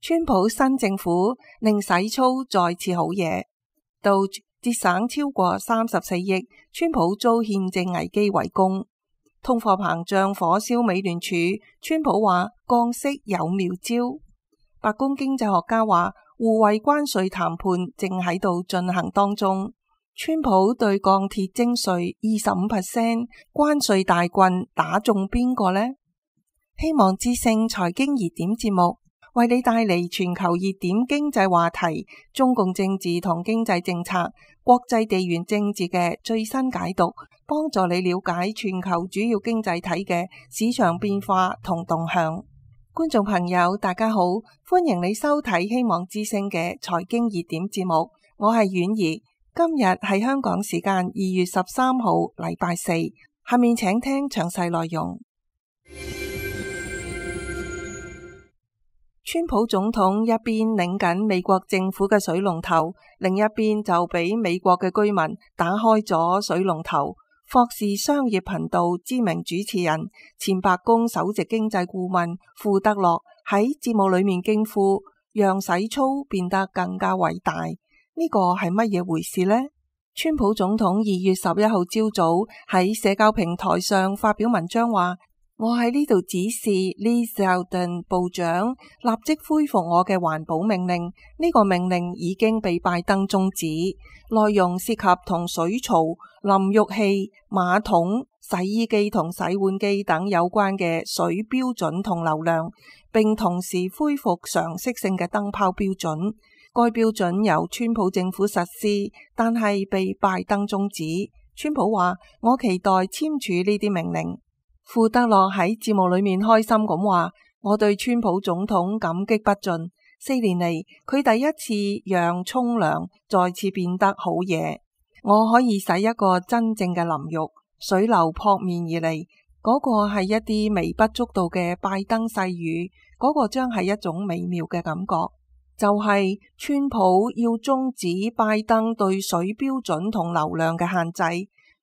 川普新政府令洗粗再次好嘢，Doge節省超過34億，川普遭憲政危機圍攻，通貨膨脹火燒美聯儲，川普話降息有妙招。白宮經濟學家話互惠關稅談判正喺度進行當中，川普對鋼鐵徵稅25%，關稅大棍打中邊個呢？希望之聲財經熱點節目為你帶嚟全球熱點經濟話題、中共政治同經濟政策、國際地緣政治嘅最新解讀，幫助你了解全球主要經濟體嘅市場變化同動向。觀眾朋友大家好，歡迎你收睇希望之聲嘅財經熱點節目，我係婉兒。今日係香港時間2月13號禮拜四，下面請聽詳細內容。川普總統一邊擰緊美國政府嘅水龍頭，另一邊就俾美國嘅居民打開咗水龍頭。霍士商業頻道知名主持人、前白宮首席經濟顧問庫德洛喺節目裏面驚呼，讓洗粗變得更加偉大。呢個係乜嘢回事呢？川普總統2月11號朝早喺社交平台上發表文章話，我喺呢度指示 Lee Zeldin 部長立即恢復我嘅環保命令。呢個命令已經被拜登終止，內容涉及同水槽、淋浴器、馬桶、洗衣機同洗碗機等有關嘅水標準同流量，並同時恢復常識性嘅燈泡標準。該標準由川普政府實施，但係被拜登終止。川普話，我期待簽署呢啲命令。庫德洛喺節目裏面開心咁話，我對川普總統感激不盡。4年嚟，佢第一次讓沖涼再次變得好嘢。我可以洗一個真正嘅淋浴，水流撲面而嚟，嗰個係一啲微不足道嘅拜登細語，嗰個將係一種美妙嘅感覺。就係川普要終止拜登對水標準同流量嘅限制。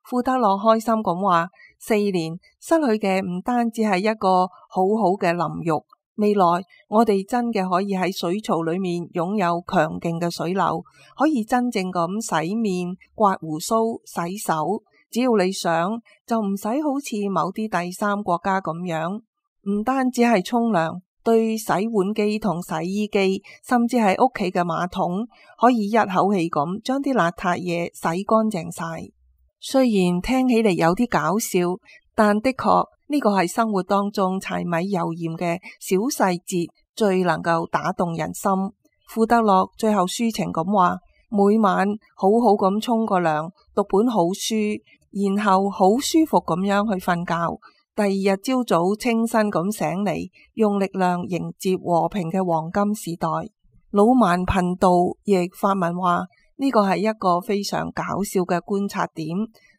庫德洛開心咁話，4年失去嘅唔單止係一個好好嘅淋浴，未來我哋真嘅可以喺水槽裏面擁有強勁嘅水流，可以真正咁洗面、刮鬍鬚、洗手。只要你想，就唔使好似某啲第三國家咁樣，唔單止係沖涼，對洗碗機同洗衣機，甚至係屋企嘅馬桶，可以一口氣咁將啲邋遢嘢洗乾淨晒。雖然聽起嚟有啲搞笑，但的確呢個係生活當中柴米油鹽嘅小細節，最能夠打動人心。庫德洛最後抒情咁話，每晚好好咁沖個涼，讀本好書，然後好舒服咁樣去瞓覺。第二日朝早清新咁醒嚟，用力量迎接和平嘅黃金時代。老萬頻道亦發文話，呢個係一個非常搞笑嘅觀察點。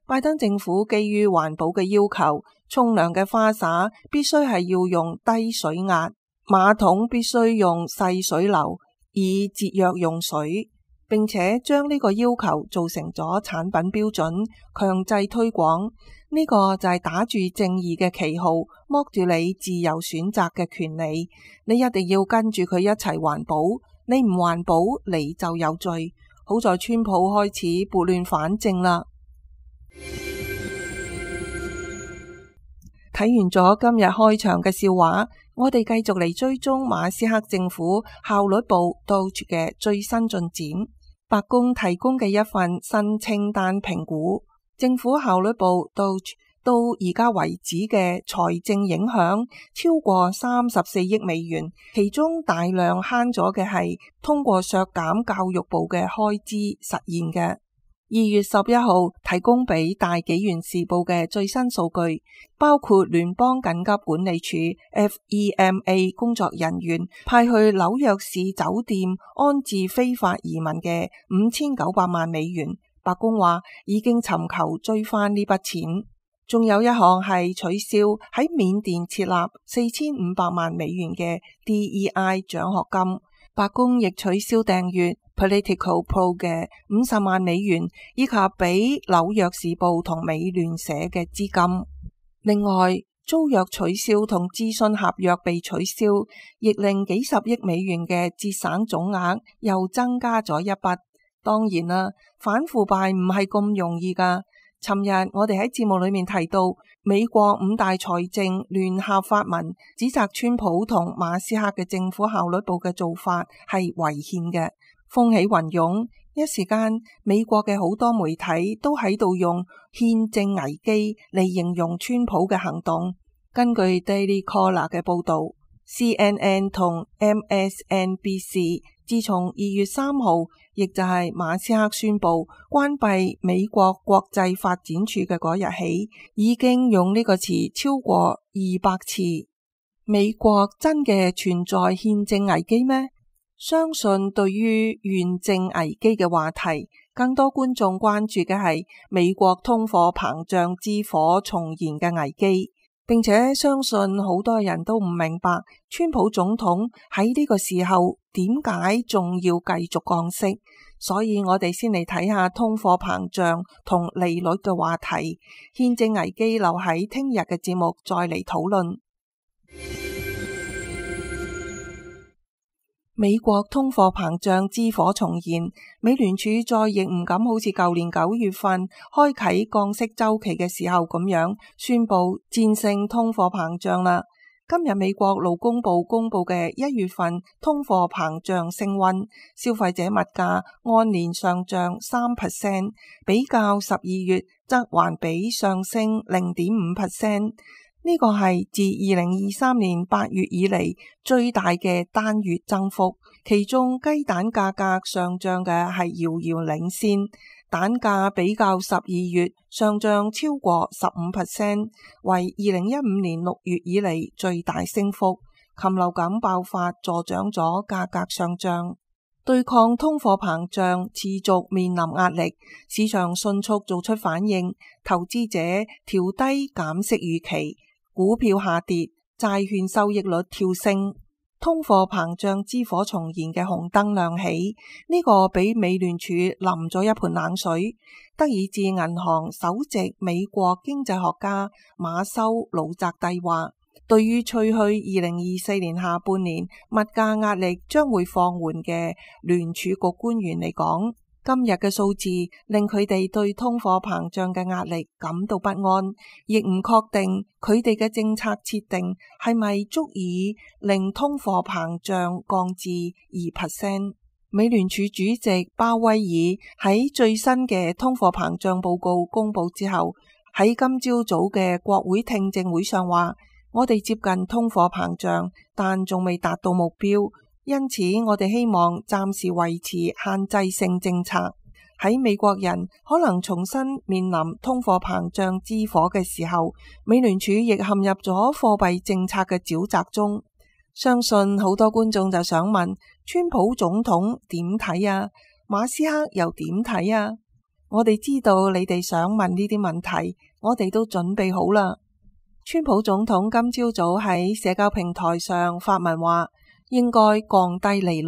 拜登政府基於環保嘅要求，沖涼嘅花灑必須係要用低水壓，馬桶必須用細水流，以節約用水，並且將呢個要求做成咗產品標準，強制推廣。呢個就係打住正義嘅旗號，剝住你自由選擇嘅權利。你一定要跟住佢一齊環保，你唔環保你就有罪。好在川普開始撥亂反正啦。睇完咗今日開場嘅笑話，我哋繼續嚟追蹤馬斯克政府效率部 Doge 嘅最新進展。白宮提供嘅一份新清單評估，政府效率部 Doge 到而家為止嘅財政影響超過34億美元，其中大量慳咗嘅係通過削減教育部嘅開支實現嘅。2月11號提供俾大紀元時報嘅最新數據，包括聯邦緊急管理處 FEMA 工作人員派去紐約市酒店安置非法移民嘅5900萬美元。白宮話已經尋求追翻呢筆錢。仲有一項係取消喺緬甸設立4500萬美元嘅 DEI 獎學金。白宮亦取消訂閱 Political Pro 嘅50萬美元，以及俾紐約時報同美聯社嘅資金。另外，租約取消同諮詢合約被取消，亦令幾十億美元嘅節省總額又增加咗一筆。當然啦，反腐敗唔係咁容易㗎。尋日我哋喺節目裏面提到，美國5大財政聯合發文指責川普同馬斯克嘅政府效率部嘅做法係違憲嘅，風起雲湧。一時間，美國嘅好多媒體都喺度用憲政危機嚟形容川普嘅行動。根據 Daily Caller 嘅報導， CNN 同 MSNBC 自從2月3號，亦就係馬斯克宣布關閉美國國際發展處嘅嗰日起，已經用呢個詞超過200次。美國真嘅存在憲政危機咩？相信對於憲政危機嘅話題，更多觀眾關注嘅係美國通貨膨脹之火重燃嘅危機，並且相信好多人都唔明白川普總統喺呢個時候點解仲要繼續降息。所以我哋先嚟睇下通貨膨脹同利率嘅話題，憲政危機留喺聽日嘅節目再嚟討論。美國通貨膨脹之火重燃，美聯儲再亦唔敢好似舊年9月份開啟降息周期嘅時候咁樣宣布戰勝通貨膨脹啦。今日美國勞工部公布嘅1月份通貨膨脹升溫，消費者物價按年上漲3%，比較12月則環比上升0.5%。呢個係自2023年8月以嚟最大嘅單月增幅，其中雞蛋價格上漲嘅係遙遙領先，蛋價比較12月上漲超過15%，為2015年6月以嚟最大升幅。禽流感爆發助長咗價格上漲，對抗通貨膨脹持續面臨壓力，市場迅速做出反應，投資者調低減息預期，股票下跌，債券收益率跳升，通貨膨脹之火重燃嘅紅燈亮起，呢個俾美聯儲淋咗一盆冷水。德意志銀行首席美國經濟學家馬修魯澤蒂話，對於吹噓2024年下半年物價壓力將會放緩嘅聯儲局官員嚟講，今日嘅數字令佢哋對通貨膨脹嘅壓力感到不安，亦唔確定佢哋嘅政策設定係咪足以令通貨膨脹降至2%。美聯儲主席鮑威爾喺最新嘅通貨膨脹報告公布之後，喺今朝早嘅國會聽證會上話，我哋接近通貨膨脹，但仲未達到目標。因此，我哋希望暫時維持限制性政策。喺美國人可能重新面臨通貨膨脹之火嘅時候，美聯儲亦陷入咗貨幣政策嘅沼澤中。相信好多觀眾就想問，川普總統點睇啊？馬斯克又點睇啊？我哋知道你哋想問呢啲問題，我哋都準備好啦。川普總統今朝早喺社交平台上發文話，應該降低利率，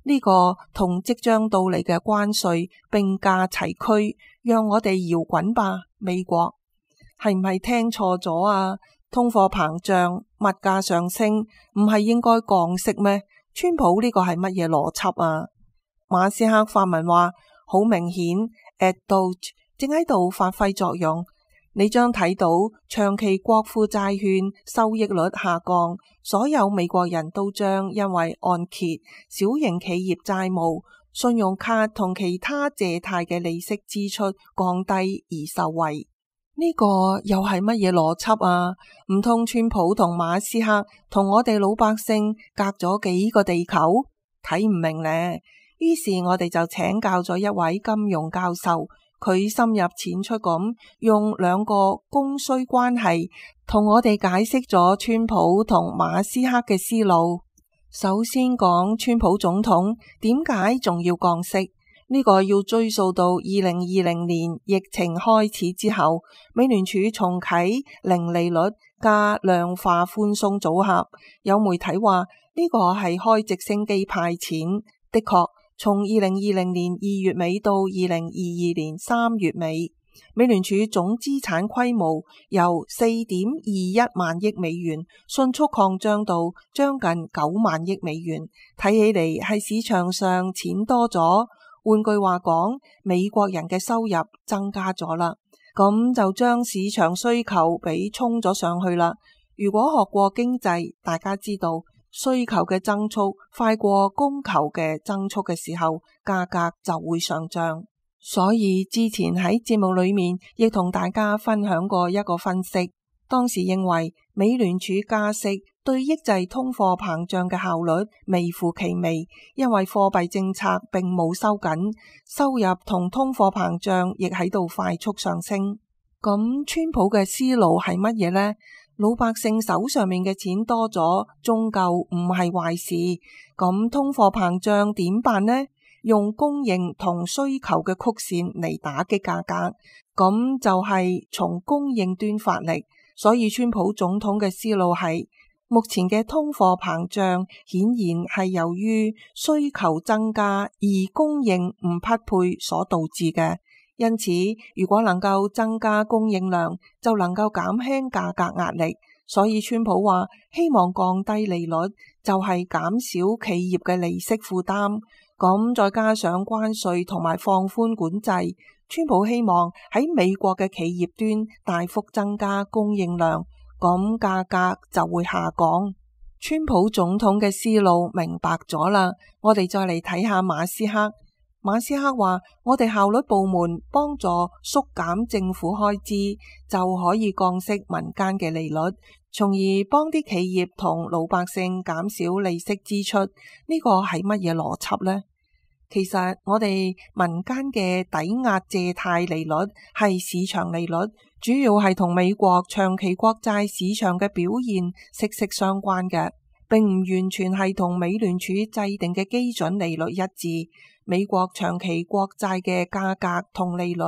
呢個同即將到嚟嘅關稅並駕齊驅，讓我哋搖滾吧。美國係唔係聽錯咗啊？通貨膨脹、物價上升，唔係應該降息咩？川普呢個係乜嘢邏輯啊？馬斯克發文話，好明顯 Doge 正喺度發揮作用。你將睇到長期國庫債券收益率下降，所有美國人都將因為按揭、小型企業債務、信用卡同其他借貸嘅利息支出降低而受惠。呢個又係乜嘢邏輯啊？唔通川普同馬斯克同我哋老百姓隔咗幾個地球？睇唔明呢？於是我哋就請教咗一位金融教授。佢深入淺出咁用兩個供需關係同我哋解釋咗川普同馬斯克嘅思路。首先講川普總統點解仲要降息，呢個要追溯到2020年疫情開始之後，美聯儲重啟零利率加量化寬鬆組合。有媒體話呢個係開直升機派錢，的確。從2020年2月尾到2022年3月尾，美聯儲總資產規模由4.21萬億美元迅速擴張到將近9萬億美元，睇起嚟係市場上錢多咗。換句話講，美國人嘅收入增加咗啦，咁就將市場需求俾衝咗上去啦。如果學過經濟，大家知道需求嘅增速快過供求嘅增速嘅時候，價格就會上漲。所以之前喺節目裏面亦同大家分享過一個分析，當時認為美聯儲加息對抑制通貨膨脹嘅效率微乎其微，因為貨幣政策並冇收緊，收入同通貨膨脹亦喺度快速上升。咁川普嘅思路係乜嘢呢？老百姓手上面嘅錢多咗，終究唔係壞事。咁通貨膨脹點辦呢？用供應同需求嘅曲線嚟打擊價格，咁就係從供應端發力。所以川普總統嘅思路係，目前嘅通貨膨脹顯然係由於需求增加而供應唔匹配所導致嘅。因此，如果能夠增加供應量，就能夠減輕價格壓力。所以川普話希望降低利率，就係減少企業嘅利息負擔。咁再加上關稅同埋放寬管制，川普希望喺美國嘅企業端大幅增加供應量，咁價格就會下降。川普總統嘅思路明白咗啦，我哋再嚟睇下馬斯克。馬斯克話：我哋效率部門幫助縮減政府開支，就可以降息民間嘅利率，從而幫啲企業同老百姓減少利息支出。呢個係乜嘢邏輯呢？其實我哋民間嘅抵押借貸利率係市場利率，主要係同美國長期國債市場嘅表現息息相關嘅，並唔完全係同美聯儲制定嘅基準利率一致。美國長期國債嘅價格同利率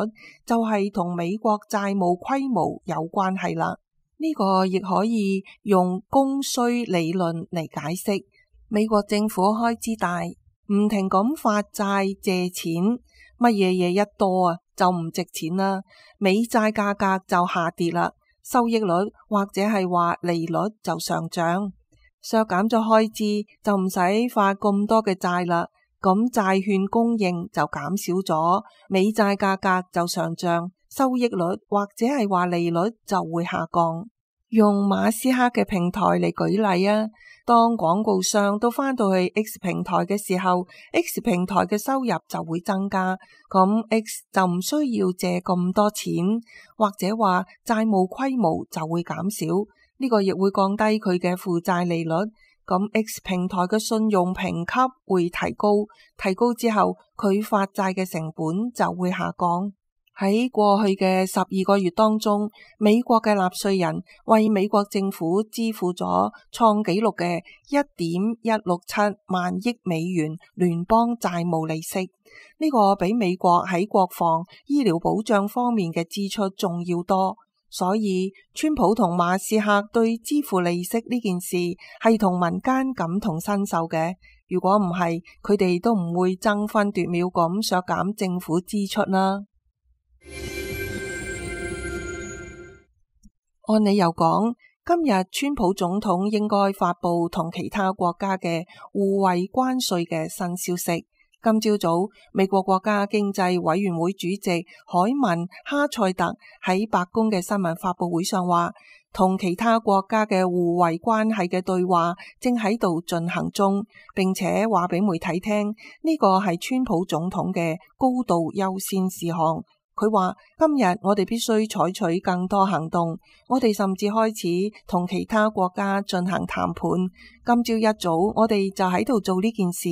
就係同美國債務規模有關係啦。呢個亦可以用供需理論嚟解釋。美國政府開支大，唔停咁發債借錢，乜嘢嘢一多啊，就唔值錢啦。美債價格就下跌啦，收益率或者係話利率就上漲，削減咗開支就唔使發咁多嘅債啦。咁債券供應就減少咗，美債價格就上漲，收益率或者係話利率就會下降。用馬斯克嘅平台嚟舉例啊，當廣告商都返到去 X 平台嘅時候， X 平台嘅收入就會增加，咁 X 就唔需要借咁多錢，或者話債務規模就會減少，呢個亦會降低佢嘅負債利率。咁 X 平台嘅信用評級會提高，提高之後佢發債嘅成本就會下降。喺過去嘅12個月當中，美國嘅納稅人為美國政府支付咗創紀錄嘅1.167萬億美元聯邦債務利息，呢個比美國喺國防、醫療保障方面嘅支出仲要多。所以川普同馬斯克對支付利息呢件事係同民間感同身受嘅。如果唔係，佢哋都唔會爭分奪秒咁削減政府支出啦。按理由講，今日川普總統應該發佈同其他國家嘅互惠關稅嘅新消息。今朝早，美國國家經濟委員會主席凱文哈塞特喺白宮嘅新聞發佈會上話，同其他國家嘅互惠關係嘅對話正喺度進行中，並且話俾媒體聽，呢個係川普總統嘅高度優先事項。佢話今日我哋必須採取更多行動，我哋甚至開始同其他國家進行談判。今朝一早我哋就喺度做呢件事。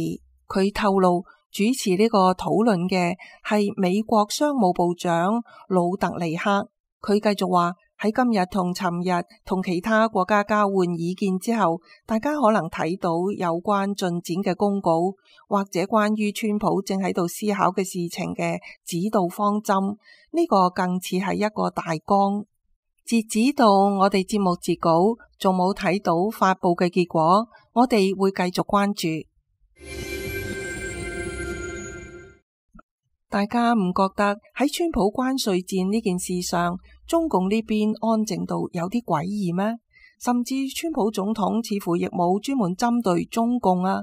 佢透露，主持呢個討論嘅係美國商務部長魯特尼克。佢繼續話，喺今日同尋日同其他國家交換意見之後，大家可能睇到有關進展嘅公告，或者關於川普正喺度思考嘅事情嘅指導方針。呢個更似係一個大綱。截止到我哋節目截稿，仲冇睇到發佈嘅結果，我哋會繼續關注。大家唔覺得喺川普關稅戰呢件事上，中共呢邊安靜到有啲詭異咩？甚至川普總統似乎亦冇專門針對中共啊。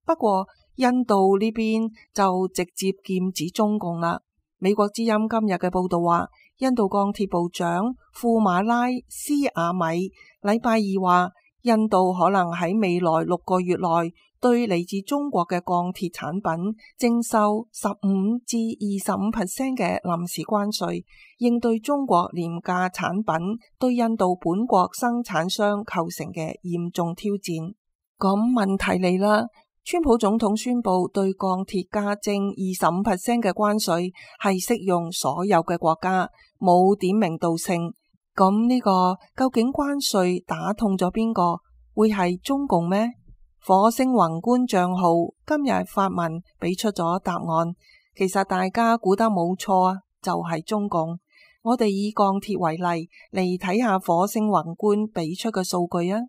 不過印度呢邊就直接劍指中共啦。美國之音今日嘅報道話，印度鋼鐵部長庫馬拉斯瓦米禮拜二話，印度可能喺未來6個月內對嚟自中國嘅鋼鐵產品徵收15%至25% 嘅臨時關稅，應對中國廉價產品對印度本國生產商構成嘅嚴重挑戰。咁問題嚟啦，川普總統宣布對鋼鐵加徵25% 嘅關稅，係適用所有嘅國家，冇點名道姓。咁呢個究竟關稅打痛咗邊個？會係中共咩？火星宏觀賬號今日發文俾出咗答案，其實大家估得冇錯啊，就係中共。我哋以鋼鐵為例嚟睇下火星宏觀俾出嘅數據啊。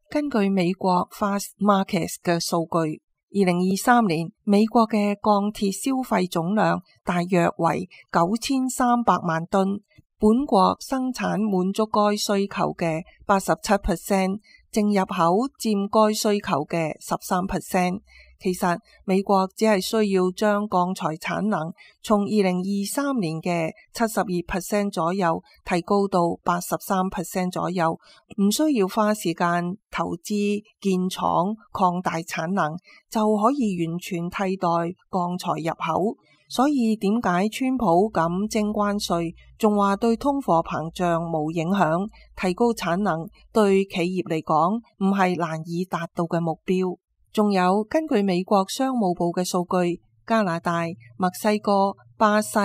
根據美國 Fastmarkets 嘅數據，2023年美國嘅鋼鐵消費總量大約為9300萬噸，本國生產滿足該需求嘅87%，淨入口佔該需求嘅13%。其實美國只係需要將鋼材產能從2023年嘅72% 左右提高到83% 左右，唔需要花時間投資建廠擴大產能，就可以完全替代鋼材入口。所以點解川普咁徵關稅，仲話對通貨膨脹冇影響，提高產能對企業嚟講唔係難以達到嘅目標。仲有根據美國商務部嘅數據，加拿大、墨西哥、巴西、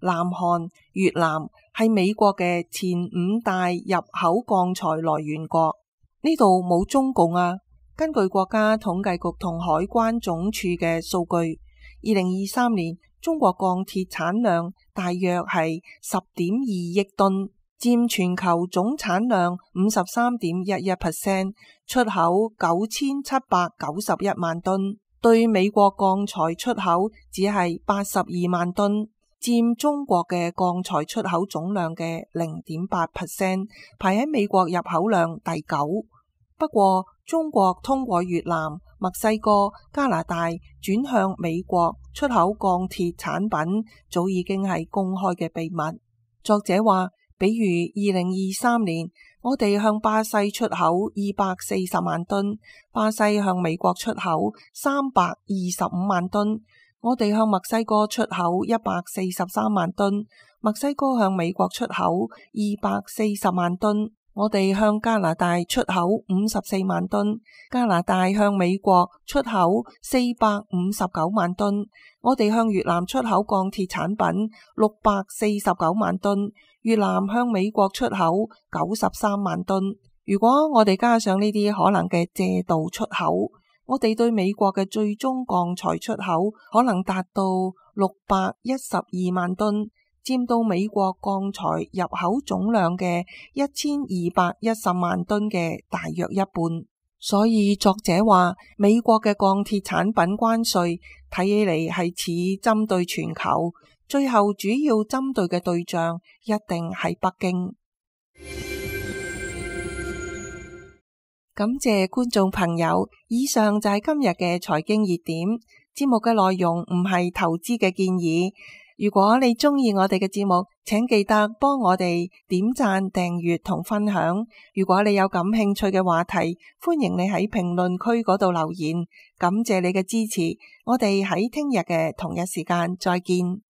南韓、越南係美國嘅前5大入口鋼材來源國。呢度冇中共啊。根據國家統計局同海關總署嘅數據，2023年中國鋼鐵產量大約係10.2億噸，佔全球總產量53.11%，出口9791萬噸，對美國鋼材出口只係82萬噸，佔中國嘅鋼材出口總量嘅0.8%，排喺美國入口量第9。不過中國通過越南、墨西哥、加拿大轉向美國出口鋼鐵產品，早已經係公開嘅秘密。作者話，比如2023年，我哋向巴西出口240萬噸，巴西向美國出口325萬噸，我哋向墨西哥出口143萬噸，墨西哥向美國出口240萬噸，我哋向加拿大出口54萬噸，加拿大向美國出口459萬噸，我哋向越南出口鋼鐵產品649萬噸，越南向美國出口93萬噸。如果我哋加上呢啲可能嘅借道出口，我哋對美國嘅最終鋼材出口可能達到612萬噸，佔到美國鋼材入口總量嘅1210萬噸嘅大約一半。所以作者話，美國嘅鋼鐵產品關稅睇起嚟係似針對全球，最後主要針對嘅對象一定係北京。感謝觀眾朋友，以上就係今日嘅財經熱點。節目嘅內容唔係投資嘅建議。如果你鍾意我哋嘅節目，請記得幫我哋點讚、訂閱同分享。如果你有感興趣嘅話題，歡迎你喺評論區嗰度留言。感謝你嘅支持，我哋喺聽日嘅同一時間再見。